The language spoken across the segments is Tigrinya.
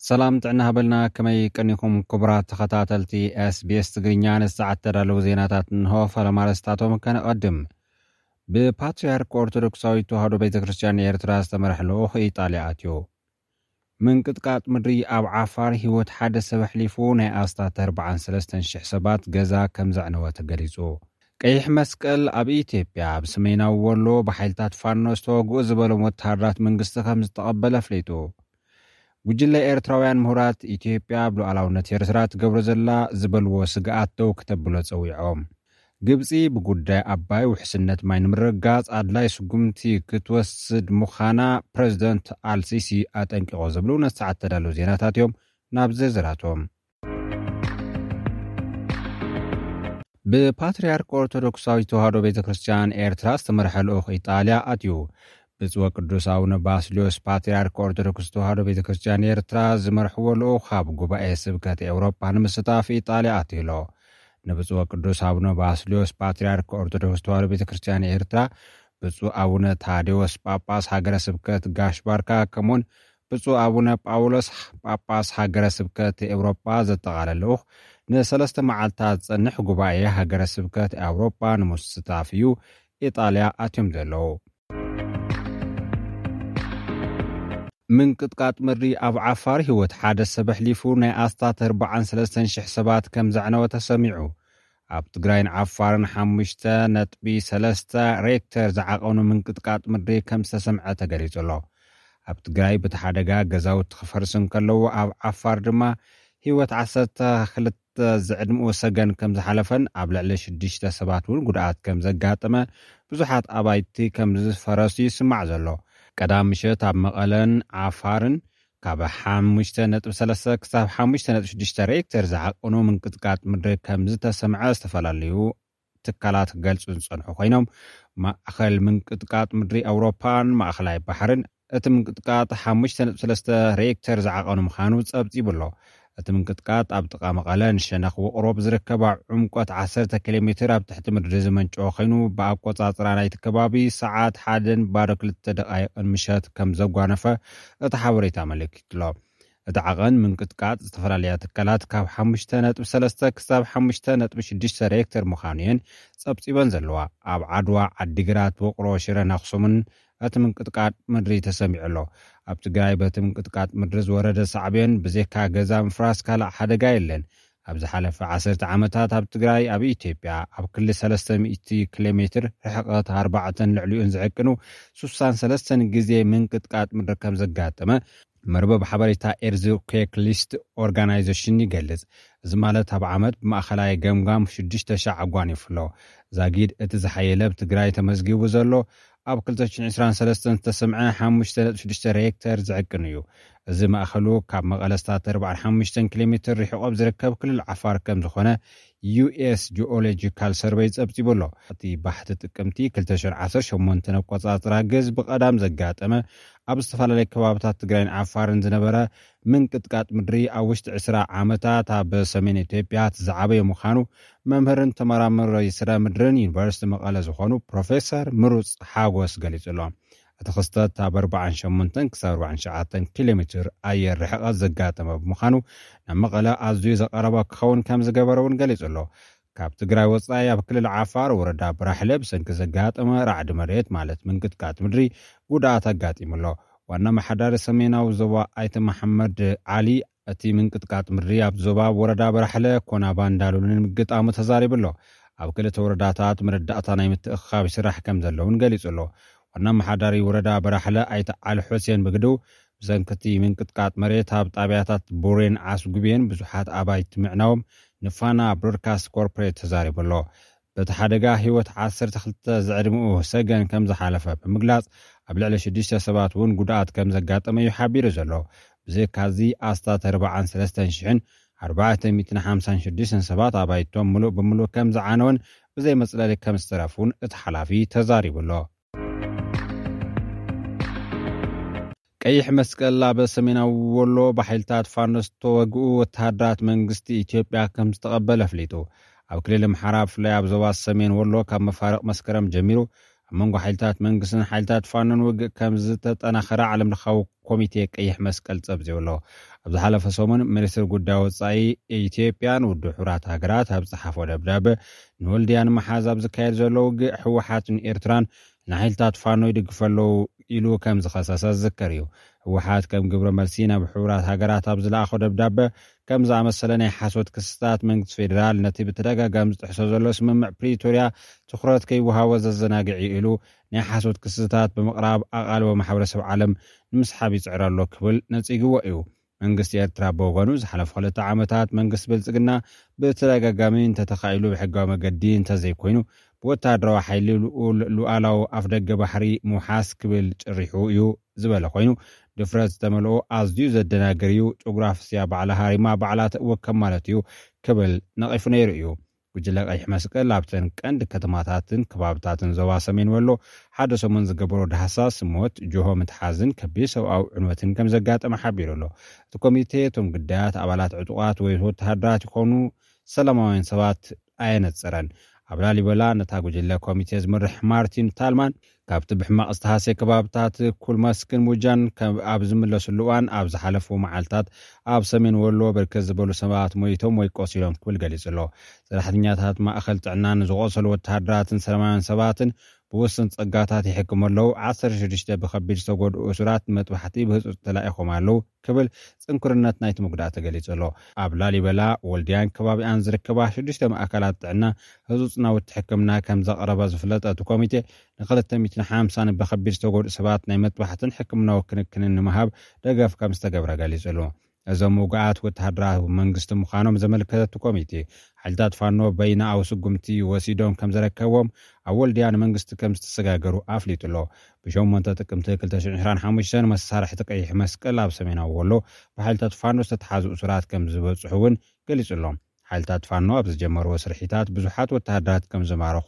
ሰላም ጥዕና ሃበልና፣ ከመይ ቀኒኹም ክቡራት ተኸታተልቲ ኤስቢኤስ ትግርኛ? ንሰዓት ተዳለዉ ዜናታት እንሆ። ፈለማ ኣርእስታቶም ከነቐድም። ብፓትርያርክ ኦርቶዶክሳዊት ተዋህዶ ቤተ ክርስቲያን ኤርትራ ዝተመርሐ ልኡኽ ኢጣልያ ኣትዩ። ምንቅጥቃጥ ምድሪ ኣብ ዓፋር ህይወት ሓደ ሰብ ኣሕሊፉ፣ ናይ ኣስታት ኣርባዓን ሰለስተን ሽሕ ሰባት ገዛ ከም ዘዕነወ ተገሊጹ። ቀይሕ መስቀል ኣብ ኢትዮጵያ ኣብ ሰሜናዊ ወሎ ብሓይልታት ፋኖ ዝተወግኡ ዝበሎም ወተሃደራት መንግስቲ ከም ዝተቐበለ ኣፍሊጡ። ጉጅለ ኤርትራውያን ምሁራት ኢትዮጵያ ኣብ ሉዓላውነት ኤርትራ ትገብሮ ዘላ ዝበልዎ ስግኣት ደው ክተብሎ ጸዊዖም። ግብጺ ብጉዳይ ኣባይ ውሕስነት ማይ ንምርግጋጽ ኣድላይ ስጉምቲ ክትወስድ ምዃና ፕረዚደንት ኣልሲሲ ኣጠንቂቖ ዝብሉ ነቲ ሰዓት ተዳለዉ ዜናታት እዮም። ናብ ዝርዝራቶም። ብፓትርያርክ ኦርቶዶክሳዊት ተዋህዶ ቤተ ክርስቲያን ኤርትራ ዝተመርሐ ልኡኽ ኢጣልያ ኣትዩ። ብፁዕ ቅዱስ ኣቡነ ባስልዮስ ፓትርያርክ ኦርቶዶክስ ተዋህዶ ቤተ ክርስቲያን ኤርትራ ዝመርሕዎ ልኡኽ ኣብ ጉባኤ ስብከት ኤውሮጳ ንምስታፍ ኢጣልያ ኣትዩ ኣሎ። ንብፁዕ ቅዱስ ኣቡነ ባስልዮስ ጳትርያርክ ኦርቶዶክስ ተዋህዶ ቤተ ክርስቲያን ኤርትራ፣ ብፁዕ ኣቡነ ታዴዎስ ጳጳስ ሃገረ ስብከት ጋሽ ባርካ፣ ከምኡውን ብፁዕ ኣቡነ ጳውሎስ ጳጳስ ሃገረ ስብከት ኤውሮጳ ዘጠቓለለ ልኡኽ፣ ንሰለስተ መዓልታት ዝጸንሕ ጉባኤ ሃገረ ስብከት ኤውሮጳ ንምስታፍ እዩ ኢጣልያ ኣትዮም ዘለዉ። ምንቅጥቃጥ ምድሪ ኣብ ዓፋር ህይወት ሓደ ሰብ ኣሕሊፉ፣ ናይ ኣስታት ኣርባዓን ሰለስተን ሽሕ ሰባት ከም ዘዕነወ ተሰሚዑ። ኣብ ትግራይን ዓፋርን ሓሙሽተ ነጥቢ ሰለስተ ሬክተር ዝዓቐኑ ምንቅጥቃጥ ምድሪ ከም ዝተሰምዐ ተገሊጹ ኣሎ። ኣብ ትግራይ በቲ ሓደጋ ገዛውቲ ክፈርሱ እንከለዉ፣ ኣብ ዓፋር ድማ ህይወት ዓሰርተ ክልተ ዝዕድምኡ ሰገን ከም ዝሓለፈን ኣብ ልዕሊ ሽዱሽተ ሰባት እውን ጉድኣት ከም ዘጋጠመ፣ ብዙሓት ኣባይቲ ከም ዝፈረሱ ይስማዕ ዘሎ። ቀዳም ምሸት ኣብ መቐለን ዓፋርን ካብ ሓሙሽተ ነጥቢ ሰለስተ ክሳብ ሓሙሽተ ነጥቢ ሽዱሽተ ሬክተር ዝዓቐኑ ምንቅጥቃጥ ምድሪ ከም ዝተሰምዐ ዝተፈላለዩ ትካላት ክገልጹ ዝጸንሑ ኮይኖም፣ ማእኸል ምንቅጥቃጥ ምድሪ ኣውሮፓን ማእኸላይ ባሕርን እቲ ምንቅጥቃጥ ሓሙሽተ ነጥቢ ሰለስተ ሬክተር ዝዓቐኑ ምዃኑ ጸብጺቡ ኣሎ። እቲ ምንቅጥቃጥ ኣብ ጥቓ መቐለ ንሸነኽ ውቕሮ ብዝርከባ ዕምቆት ዓሰርተ ኪሎ ሜትር ኣብ ትሕቲ ምድሪ ዝመንጨወ ኮይኑ፣ ብኣቆጻጽራ ናይቲ ከባቢ ሰዓት ሓደን ባዶ ክልተ ደቓይቕን ምሸት ከም ዘጓነፈ እቲ ሓበሬታ ኣመልኪቱ ኣሎ። እቲ ዓቐን ምንቅጥቃጥ ዝተፈላለያ ትካላት ካብ ሓሙሽተ ነጥቢ ሰለስተ ክሳብ ሓሙሽተ ነጥቢ ሽዱሽተ ሬክተር ምዃኑ እየን ጸብጺበን ዘለዋ። ኣብ ዓድዋ፣ ዓዲግራት፣ ውቕሮ፣ ሽረን ኣኽሱምን እቲ ምንቅጥቃጥ ምድሪ ተሰሚዑ ኣሎ። ኣብ ትግራይ በቲ ምንቅጥቃጥ ምድሪ ዝወረደ ሳዕቤን ብዘይካ ገዛ ምፍራስ ካልእ ሓደጋ የለን። ኣብ ዝሓለፈ ዓሰርተ ዓመታት ኣብ ትግራይ፣ ኣብ ኢትዮጵያ፣ ኣብ ክሊ ሰለስተ ሚእቲ ኪሎ ሜትር ርሕቐት ኣርባዕተን ልዕሊኡን ዝዕቅኑ ሱሳን ሰለስተን ግዜ ምንቅጥቃጥ ምድሪ ከም ዘጋጠመ መርበብ ሓበሬታ ኤርዝኩዌክ ሊስት ኦርጋናይዜሽን ይገልጽ። እዚ ማለት ኣብ ዓመት ብማእኸላይ ገምጋም ሽዱሽተ ሻዕ ኣጓኒፉ ኣሎ። ዛጊድ እቲ ዝሓየለ ኣብ ትግራይ ተመዝጊቡ ዘሎ ኣብ ክልተ ሽሕን ዕስራን ሰለስተን ዝተሰምዐ ሓሙሽተ ነጥቢ ሽዱሽተ ሬክተር ዝዕቅን እዩ። እዚ ማእኸሉ ካብ መቐለ ኣስታት ኣርባዓን ሓሙሽተን ኪሎ ሜትር ርሒቑ ኣብ ዝርከብ ክልል ዓፋር ከም ዝኾነ ዩኤስ ጂኦሎጂካል ሰርቨይ ጸብጺቡ ኣሎ። እቲ ባሕቲ ጥቅምቲ ክልተ ሽሕን ዓሰርተ ሸሞንተን ኣቆጻጽራ ግዝ ብቐዳም ዘጋጠመ ኣብ ዝተፈላለዩ ከባብታት ትግራይን ዓፋርን ዝነበረ ምንቅጥቃጥ ምድሪ ኣብ ውሽጢ ዕስራ ዓመታት ኣብ ሰሜን ኢትዮጵያ እቲ ዝዓበየ ምዃኑ መምህርን ተመራማሪ ስነ ምድርን ዩኒቨርሲቲ መቐለ ዝኾኑ ፕሮፌሰር ምሩፅ ሓጎስ ገሊጹ ኣሎ። እቲ ክስተት ኣብ ኣርባዓን ሸሞንተን ክሳብ ኣርባዓን ትሽዓተን ኪሎ ሜትር ኣየር ርሕቐት ዘጋጠመ ብምዃኑ፣ ናብ መቐለ ኣዝዩ ዘቐረበ ክኸውን ከም ዝገበረ እውን ገሊጹ ኣሎ። ካብ ትግራይ ወጻኢ ኣብ ክልል ዓፋር ወረዳ ብራሕለ ብሰንኪ ዘጋጠመ ራዕዲ መሬት ማለት ምንቅጥቃጥ ምድሪ ጉድኣት ኣጋጢሙ ኣሎ። ዋና ኣመሓዳሪ ሰሜናዊ ዞባ ኣይተ መሓመድ ዓሊ፣ እቲ ምንቅጥቃጥ ምድሪ ኣብ ዞባ ወረዳ በራሕለ ኮናባ እንዳሉልን ምግጣሙ ተዛሪቡ ኣሎ። ኣብ ክልተ ወረዳታት መረዳእታ ናይ ምትእኽኻብ ይስራሕ ከም ዘሎ እውን ገሊጹ ኣሎ። ዋና ኣመሓዳሪ ወረዳ በራሕለ ኣይተ ዓሊ ሑሴን ብግድኡ፣ ብሰንኪ እቲ ምንቅጥቃጥ መሬት ኣብ ጣብያታት ቡሬን ዓስጉቤን ብዙሓት ኣባይቲ ምዕናዎም ንፋና ብሮድካስት ኮርፖሬት ተዛሪቡ ኣሎ። በቲ ሓደጋ ህይወት ዓሰርተ ክልተ ዝዕድምኡ ሰገን ከም ዝሓለፈ ብምግላጽ፣ ኣብ ልዕሊ ሽዱሽተ ሰባት እውን ጉድኣት ከም ዘጋጠመ እዩ ሓቢሩ ዘሎ። ብዘይካዚ ኣስታት ኣርባዓን ሰለስተን ሽሕን ኣርባዕተ ሚእትን ሓምሳን ሽዱሽተን ሰባት ኣባይቶም ምሉእ ብምሉእ ከም ዝዓነወን ብዘይ መጽለሊ ከም ዝተረፉን እቲ ሓላፊ ተዛሪቡ ኣሎ። ቀይሕ መስቀል ኣብ ሰሜናዊ ወሎ ብሓይልታት ፋኖ ዝተወግኡ ወተሃደራት መንግስቲ ኢትዮጵያ ከም ዝተቐበለ ኣፍሊጡ። ኣብ ክልል ኣምሓራ ብፍላይ ኣብ ዞባ ሰሜን ወሎ ካብ መፋርቕ መስከረም ጀሚሩ ኣብ መንጎ ሓይልታት መንግስትን ሓይልታት ፋኖን ውግእ ከም ዝተጠናኸረ ዓለም ለኻዊ ኮሚቴ ቀይሕ መስቀል ጸብጺቡ ኣሎ። ኣብ ዝሓለፈ ሰሙን ሚኒስትር ጉዳይ ወጻኢ ኢትዮጵያን ውድብ ሕቡራት ሃገራት ኣብ ዝጸሓፎ ደብዳበ፣ ንወልድያ ንምሓዝ ኣብ ዝካየድ ዘሎ ውግእ ህወሓትን ኤርትራን ንሓይልታት ፋኖ ይድግፉ ኣለዉ ኢሉ ከም ዝኸሰሰ ዝዝከር እዩ። ህወሓት ከም ግብረ መልሲ ናብ ሕቡራት ሃገራት ኣብ ዝለኣኾ ደብዳበ፣ ከም ዝኣመሰለ ናይ ሓሶት ክስታት መንግስቲ ፌዴራል ነቲ ብተደጋጋሚ ዝጥሕሶ ዘሎ ስምምዕ ፕሪቶርያ ትኹረት ከይወሃቦ ዘዘናግዕ እዩ ኢሉ ናይ ሓሶት ክስታት ብምቕራብ ኣቓልቦ ማሕበረሰብ ዓለም ንምስሓብ ይጽዕር ኣሎ ክብል ነጺግዎ እዩ። መንግስቲ ኤርትራ ብወገኑ ዝሓለፉ ክልተ ዓመታት መንግስቲ ብልጽግና ብተደጋጋሚ እንተተኻኢሉ ብሕጋዊ መገዲ እንተዘይኮይኑ ብወታደራዊ ሓይሊ ልኡል ሉዓላዊ ኣፍደገ ባሕሪ ምውሓስ ክብል ጭሪሑ እዩ ዝበለ ኮይኑ፣ ድፍረት ዝተመልኦ ኣዝዩ ዘደናግር እዩ። ጨጉራ ፍስያ ባዕላ ሃሪማ ባዕላ ተእወከም ማለት እዩ ክብል ነቒፉ ነይሩ እዩ። ጉጅለ ቀይሕ መስቀል ኣብተን ቀንዲ ከተማታትን ከባብታትን ዞባ ሰሜን ወሎ ሓደ ሰሙን ዝገበሮ ዳህሳስ ሞት፣ ጅሆ ምትሓዝን ከቢድ ሰብኣዊ ዕንወትን ከም ዘጋጠመ ሓቢሩ ኣሎ። እቲ ኮሚቴ እቶም ግዳያት ኣባላት ዕጡቓት ወይ ወተሃደራት ይኾኑ ሰላማውያን ሰባት ኣየነጸረን። ኣብ ላሊበላ ነታ ጉጅለ ኮሚቴ ዝመርሕ ማርቲን ታልማን ካብቲ ብሕማቕ ዝተሃሰየ ከባብታት ኩልመስክን ሙጃን ከ-፣ ኣብ ዝምለስሉ እዋን ኣብ ዝሓለፉ መዓልታት ኣብ ሰሜን ወሎ ብርክት ዝበሉ ሰባት ሞይቶም ወይ ቆሲሎም ክብል ገሊጹ ኣሎ። ሰራሕተኛታት ማእኸል ጥዕና ንዝቆሰሉ ወተሃደራትን ሰላማውያን ሰባትን ብውስን ጸጋታት ይሕክሙ ኣለዉ። ዓሰርተ ሽዱሽተ ብኸቢድ ዝተጎድኡ እሱራት ንመጥባሕቲ ብህጹጽ ተላኢኾም ኣለዉ ክብል ጽንኩርነት ናይቲ ምጉዳእ ተገሊጹ ኣሎ። ኣብ ላሊበላ፣ ወልድያን ከባቢኣን ዝርከባ ሽዱሽተ ማእከላት ጥዕና ህጹጽ ናውቲ ሕክምና ከም ዘቕረባ ዝፍለጠ እቲ ኮሚቴ፣ ንክልተ ሚእትን ሓምሳን ብኸቢድ ዝተጎድኡ ሰባት ናይ መጥባሕትን ሕክምናዊ ክንክንን ንምሃብ ደገፍ ከም ዝተገብረ ገሊጹ ኣሎ። እዞም ውጉኣት ወተሃደራዊ መንግስቲ ምዃኖም ዘመልከተ እቲ ኮሚቴ፣ ሓይልታት ፋኖ በይናዊ ስጉምቲ ወሲዶም ከም ዘረከብዎም ኣብ ወልድያ ንመንግስቲ ከም ዝተሰጋገሩ ኣፍሊጡ ኣሎ። ብሸሞንተ ጥቅምቲ ክልተ ሽሕን ዕስራን ሓሙሽተን መሳርሕቲ ቀይሕ መስቀል ኣብ ሰሜናዊ ወሎ ብሓይልታት ፋኖ ዝተተሓዙ እሱራት ከም ዝበጽሑ እውን ገሊጹ ኣሎ። ሓይልታት ፋኖ ኣብ ዝጀመርዎ ስርሒታት ብዙሓት ወተሃደራት ከም ዝማረኹ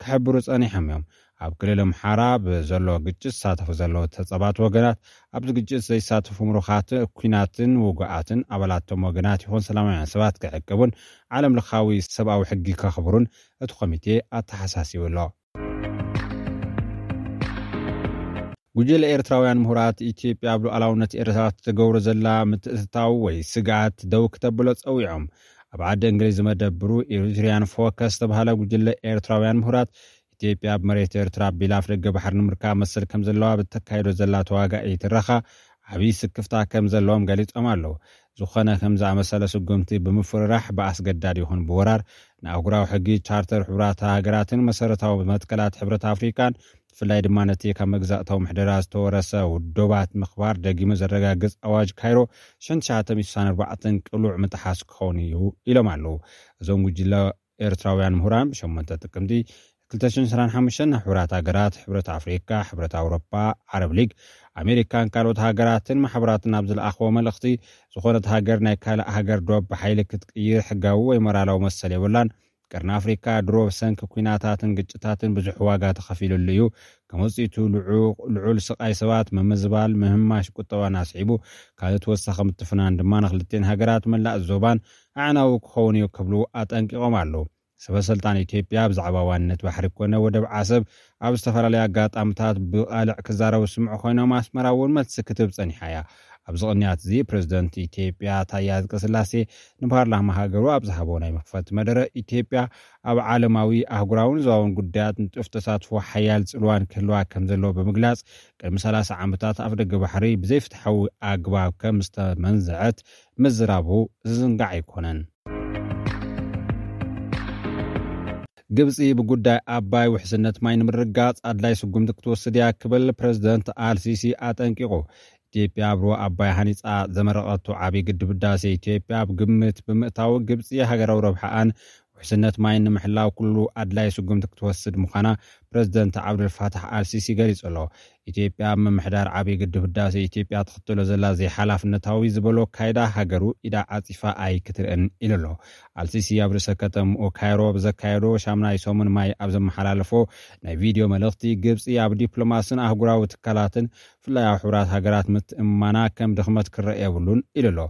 ክሕብሩ ጸኒሖም እዮም። ኣብ ክልል ኣምሓራ ብዘሎ ግጭት ዝሳተፉ ዘለዉ ተጸባት ወገናት፣ ኣብዚ ግጭት ዘይሳተፉ ምሩኻት ኲናትን ውጉኣትን ኣባላቶም ወገናት ይኹን ሰላማውያን ሰባት ክዕቅቡን ዓለም ለኻዊ ሰብኣዊ ሕጊ ከኽብሩን እቲ ኮሚቴ ኣተሓሳሲቡ ኣሎ። ጉጅለ ኤርትራውያን ምሁራት፣ ኢትዮጵያ ኣብ ሉዓላውነት ኤርትራ ትገብሮ ዘላ ምትእትታው ወይ ስግኣት ደው ክተብሎ ጸዊዖም። ኣብ ዓዲ እንግሊዝ ዝመደብሩ ኤሪትሪያን ፎከስ ዝተባህለ ጉጅለ ኤርትራውያን ምሁራት፣ ኢትዮጵያ ኣብ መሬት ኤርትራ ኣቢላ ኣፍደገ ባሕሪ ንምርካብ መሰል ከም ዘለዋ ብተካይዶ ዘላ ተዋጋኢ ትረኻ ዓብዪ ስክፍታ ከም ዘለዎም ገሊጾም ኣለዉ። ዝኾነ ከም ዝኣመሰለ ስጉምቲ ብምፍርራሕ፣ ብኣስገዳድ ይኹን ብወራር፣ ንኣህጉራዊ ሕጊ፣ ቻርተር ሕቡራት ሃገራትን መሰረታዊ መትከላት ሕብረት ኣፍሪካን፣ ብፍላይ ድማ ነቲ ካብ መግዛእታዊ ምሕደራ ዝተወረሰ ውዶባት ምኽባር ደጊሙ ዘረጋግጽ ኣዋጅ ካይሮ ሽሕን ትሽዓተ ሚእትን ስሳን ኣርባዕተን ቅሉዕ ምጥሓስ ክኸውን እዩ ኢሎም ኣለዉ። እዞም ጉጅለ ኤርትራውያን ምሁራን ብሸሞንተ ጥቅምቲ ክልተ ሽሕን ዕስራን ሓሙሽተን ናብ ሕቡራት ሃገራት፣ ሕብረት ኣፍሪካ፣ ሕብረት ኣውሮፓ፣ ዓረብ ሊግ፣ ኣሜሪካን ካልኦት ሃገራትን ማሕበራትን ኣብ ዝለኣኽዎ መልእኽቲ፣ ዝኾነት ሃገር ናይ ካልእ ሃገር ዶብ ብሓይሊ ክትቅይር ሕጋዊ ወይ ሞራላዊ መሰል የብላን። ቀርኒ ኣፍሪካ ድሮ ብሰንኪ ኲናታትን ግጭታትን ብዙሕ ዋጋ ተኸፊሉሉ እዩ። ከም ውፅኢቱ ልዑ-፣ ልዑል ስቓይ ሰባት፣ ምምዝባል፣ ምህማሽ ቁጠባን ኣስዒቡ፣ ካልእ ተወሳኺ ምትፍናን ድማ ንክልቴን ሃገራት መላእ ዞባን ኣዕናዊ ክኸውን እዩ ክብሉ ኣጠንቂቖም ኣለዉ። ሰበ ስልጣን ኢትዮጵያ ብዛዕባ ዋንነት ባሕሪ ኮነ ወደብ ዓሰብ ኣብ ዝተፈላለዩ ኣጋጣሚታት ብቓልዕ ክዛረቡ ዝስምዑ ኮይኖም፣ ኣስመራ እውን መልሲ ክትህብ ጸኒሓ እያ። ኣብዚ ቅንያት እዚ ፕሬዝደንት ኢትዮጵያ ታየ ኣጽቀስላሴ ንፓርላማ ሃገሩ ኣብ ዝሃቦ ናይ መኽፈቲ መደረ፣ ኢትዮጵያ ኣብ ዓለማዊ፣ ኣህጉራውን ዞባውን ጉዳያት ንጡፍ ተሳትፎ፣ ሓያል ጽልዋን ክህልዋ ከም ዘለዎ ብምግላጽ፣ ቅድሚ ሰላሳ ዓመታት ኣፍደገ ባሕሪ ብዘይፍትሓዊ ኣግባብ ከም ዝተመንዘዐት ምዝራቡ ዝዝንጋዕ ኣይኮነን። ግብጺ ብጉዳይ ኣባይ ውሕስነት ማይ ንምርግጋጽ ኣድላይ ስጉምቲ ክትወስድ እያ ክብል ፕሬዝደንት ኣልሲሲ ኣጠንቂቑ። ኢትዮጵያ ኣብ ሩባ ኣባይ ሃኒጻ ዘመረቐቶ ዓብዪ ግድብ ህዳሴ ኢትዮጵያ ኣብ ግምት ብምእታው፣ ግብጺ ሃገራዊ ረብሓኣን ውሕስነት ማይን ንምሕላው ኩሉ ኣድላይ ስጉምቲ ክትወስድ ምዃና ፕሬዝደንት ዓብዱልፋታሕ ኣልሲሲ ገሊጹ ኣሎ። ኢትዮጵያ ኣብ ምምሕዳር ዓብዪ ግድብ ህዳሴ ኢትዮጵያ ትኽተሎ ዘላ ዘይሓላፍነታዊ ዝበሎ ኣካይዳ ሃገሩ ኢዳ ዓጺፋ ኣይክትርእን ኢሉ ኣሎ። ኣልሲሲ ኣብ ርእሰ ከተምኡ ካይሮ ብዘካየዶ ሻምናይ ሰሙን ማይ ኣብ ዘመሓላለፎ ናይ ቪድዮ መልእኽቲ፣ ግብጺ ኣብ ዲፕሎማስን ኣህጉራዊ ትካላትን ብፍላይ ኣብ ሕቡራት ሃገራት ምትእምማና ከም ድኽመት ክረአ የብሉን ኢሉ ኣሎ።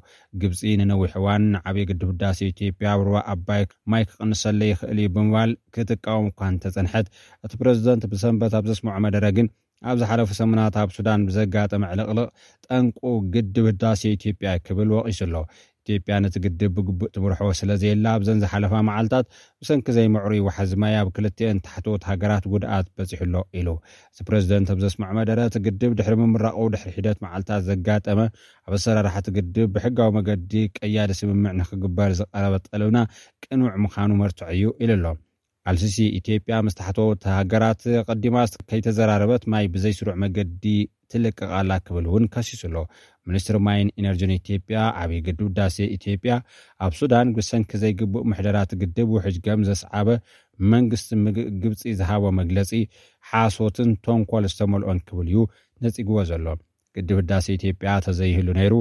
ግብጺ ንነዊሕ እዋን ንዓብዪ ግድብ ህዳሴ ኢትዮጵያ ኣብ ሩባ ኣባይ ማይ ክቕንሰለይ ይኽእል እዩ ብምባል ክትቃወም እኳ እንተጸንሐት፣ እቲ ፕረዚደንት ብሰንበት ኣብ ዘስምዖ መደረ ግን፣ ኣብ ዝሓለፉ ሰሙናት ኣብ ሱዳን ብዘጋጠመ ዕልቕልቕ ጠንቁ ግድብ ህዳሴ ኢትዮጵያ ክብል ወቒሱ ኣሎ። ኢትዮጵያ ነቲ ግድብ ብግቡእ ትምርሖ ስለ ዘየላ፣ ኣብዘን ዝሓለፋ መዓልታት ብሰንኪ ዘይምዕሩይ ዋሕዚ ማይ ኣብ ክልቲአን ታሕተዎት ሃገራት ጉድኣት በጺሑ ኣሎ ኢሉ። እቲ ፕረዚደንት ኣብ ዘስምዖ መደረ፣ እቲ ግድብ ድሕሪ ምምራቑ ድሕሪ ሒደት መዓልታት ዘጋጠመ ኣብ ኣሰራርሓ እቲ ግድብ ብሕጋዊ መገዲ ቀያዲ ስምምዕ ንክግበር ዝቐረበ ጠለብና ቅኑዕ ምዃኑ መርትዖ እዩ ኢሉ ኣሎ። ኣልሲሲ፣ ኢትዮጵያ ምስ ታሕተዎት ሃገራት ቀዲማ ከይተዘራረበት ማይ ብዘይስሩዕ መገዲ ትልቅቕ ኣላ ክብል እውን ከሲሱ ኣሎ። ሚኒስትሪ ማይን ኢነርጂን ኢትዮጵያ፣ ዓብዪ ግድብ ህዳሴ ኢትዮጵያ ኣብ ሱዳን ብሰንኪ ዘይግቡእ ምሕደራት ግድብ ውሕጅ ከም ዘስዓበ መንግስቲ ምግ-፣ ግብፂ ዝሃቦ መግለፂ ሓሶትን ተንኮል ዝተመልኦን ክብል እዩ ነፂግዎ ዘሎ። ግድብ ህዳሴ ኢትዮጵያ ተዘይህሉ ነይሩ፣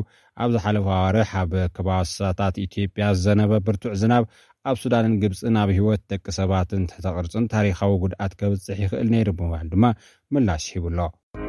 ኣብ ዝሓለፈ ኣዋርሕ ኣብ ከባሳታት ኢትዮጵያ ዝዘነበ ብርቱዕ ዝናብ ኣብ ሱዳንን ግብፅን ኣብ ህይወት ደቂ ሰባትን ትሕተ ቅርፅን ታሪኻዊ ጉድኣት ከብፅሕ ይኽእል ነይሩ ብምባል ድማ ምላሽ ሂቡ ኣሎ።